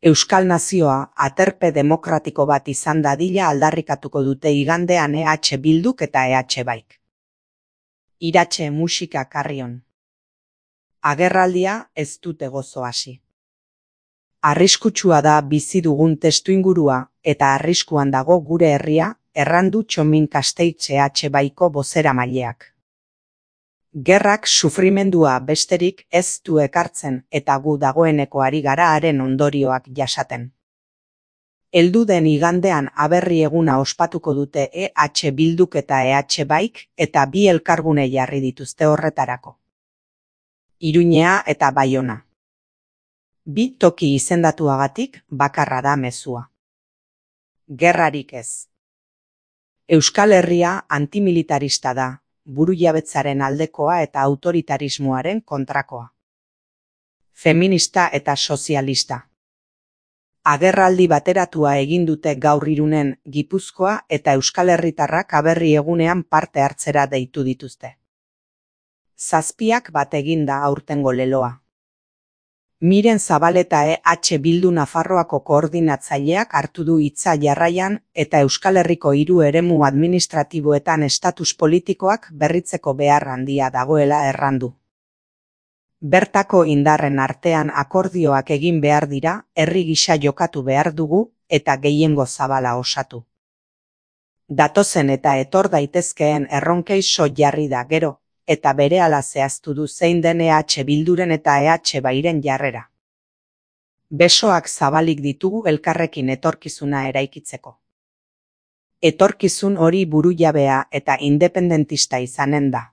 Euskal nazioa aterpe demokratiko bat izan dadila aldarrikatuko dute igandean EH Bilduk eta EH Baik. Iratxe musika Carrion. Agerraldia ez dute gozo hasi. Arriskutsua da bizi dugun testuingurua eta arriskuan dago gure herria, errandu Txomin Kasteitz EH Baiko bozeramaileak. Gerrak sufrimendua besterik ez du ekartzen eta gu dagoeneko ari gara haren ondorioak jasaten. Heldu den igandean aberri eguna ospatuko dute EH Bilduk eta EH Baik eta bi elkargune jarri dituzte horretarako. Iruñea eta Baiona. Bi toki izendatuagatik bakarra da mezua. Gerrarik ez. Euskal Herria antimilitarista da, burujabetzaren aldekoa eta autoritarismoaren kontrakoa. Feminista eta sozialista. Agerraldi bateratua egin dute gaur Irunen, Gipuzkoa eta Euskal Herritarrak aberri egunean parte hartzera deitu dituzte. 7 bat eginda aurtengo leloa. Miren Zabaleta EH Bildu Nafarroako koordinatzaileak hartu du hitza jarraian eta Euskal Herriko 3 eremu administratiboetan estatus politikoak berritzeko behar handia dagoela errandu. Bertako indarren artean akordioak egin behar dira, herri gisa jokatu behar dugu eta gehiengo zabala osatu. Datozen eta etor daitezkeen erronkei so jarri da gero, eta berehala zehaztu du zein den EH Bilduren eta EH Bairen jarrera. Besoak zabalik ditugu elkarrekin etorkizuna eraikitzeko. Etorkizun hori burujabea eta independentista izanen da.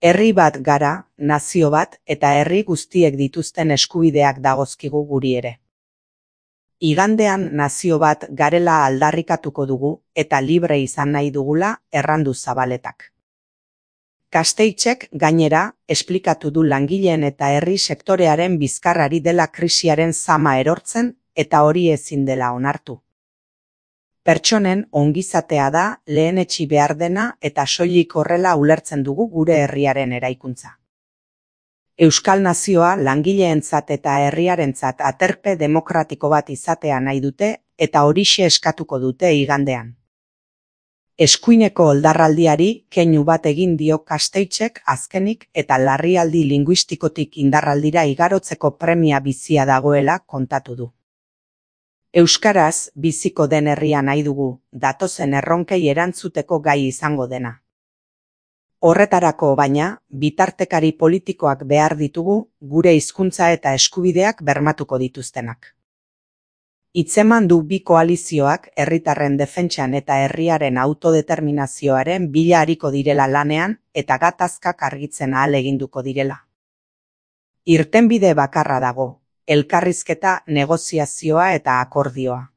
Herri bat gara, nazio bat eta herri guztiek dituzten eskubideak dagozkigu guri ere. Igandean nazio bat garela aldarrikatuko dugu eta libre izan nahi dugula errandu Zabaletak. Kasteitzek gainera esplikatu du langileen eta herri sektorearen bizkarrari dela krisiaren zama erortzen eta hori ezin dela onartu. Pertsonen ongizatea da lehenetsi behar dena eta soilik horrela ulertzen dugu gure herriaren eraikuntza. Euskal nazioa langileentzat eta herriarentzat aterpe demokratiko bat izatea nahi dute eta horixe eskatuko dute igandean. Eskuineko oldarraldiari keinu bat egin dio Kasteitzek azkenik eta larrialdi linguistikotik indarraldira igarotzeko premia bizia dagoela kontatu du. Euskaraz biziko den herria nahi dugu, datozen erronkei erantzuteko gai izango dena. Horretarako baina, bitartekari politikoak behar ditugu, gure hizkuntza eta eskubideak bermatuko dituztenak. Hitzeman du bi koalizioak herritarren defentsan eta herriaren autodeterminazioaren bila ariko direla lanean eta gatazkak argitzen ahaleginduko direla. Irtenbide bakarra dago, elkarrizketa, negoziazioa eta akordioa.